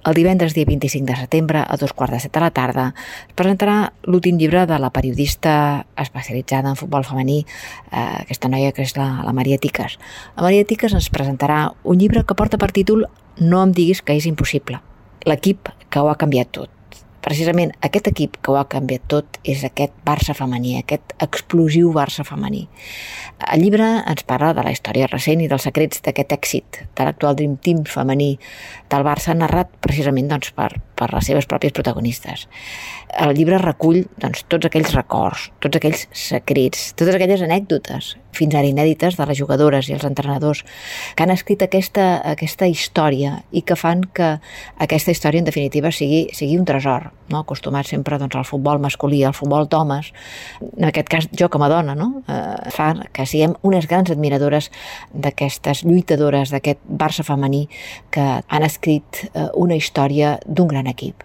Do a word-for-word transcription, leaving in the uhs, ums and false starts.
El divendres, dia vint-i-cinc de setembre, a dos quarts de set de la tarda, es presentarà l'últim llibre de la periodista especialitzada en futbol femení, eh, aquesta noia que és la, la Maria Tiques. La Maria Tiques ens presentarà un llibre que porta per títol No em diguis que és impossible. L'equip que ho ha canviat tot. Precisament aquest equip que ho ha canviat tot és aquest Barça femení, aquest explosiu Barça femení. El llibre ens parla de la història recent i dels secrets d'aquest èxit de l'actual Dream Team femení del Barça, narrat precisament doncs, per, per les seves pròpies protagonistes. El llibre recull doncs, tots aquells records, tots aquells secrets, totes aquelles anècdotes, fins ara inèdites, de les jugadores i els entrenadors que han escrit aquesta, aquesta història i que fan que aquesta història, en definitiva, sigui, sigui un tresor. No? Acostumat sempre doncs, al futbol masculí, al futbol d'homes, en aquest cas jo com a dona, no? eh, fa que siguem unes grans admiradores d'aquestes lluitadores, d'aquest Barça femení que han escrit eh, una història d'un gran equip.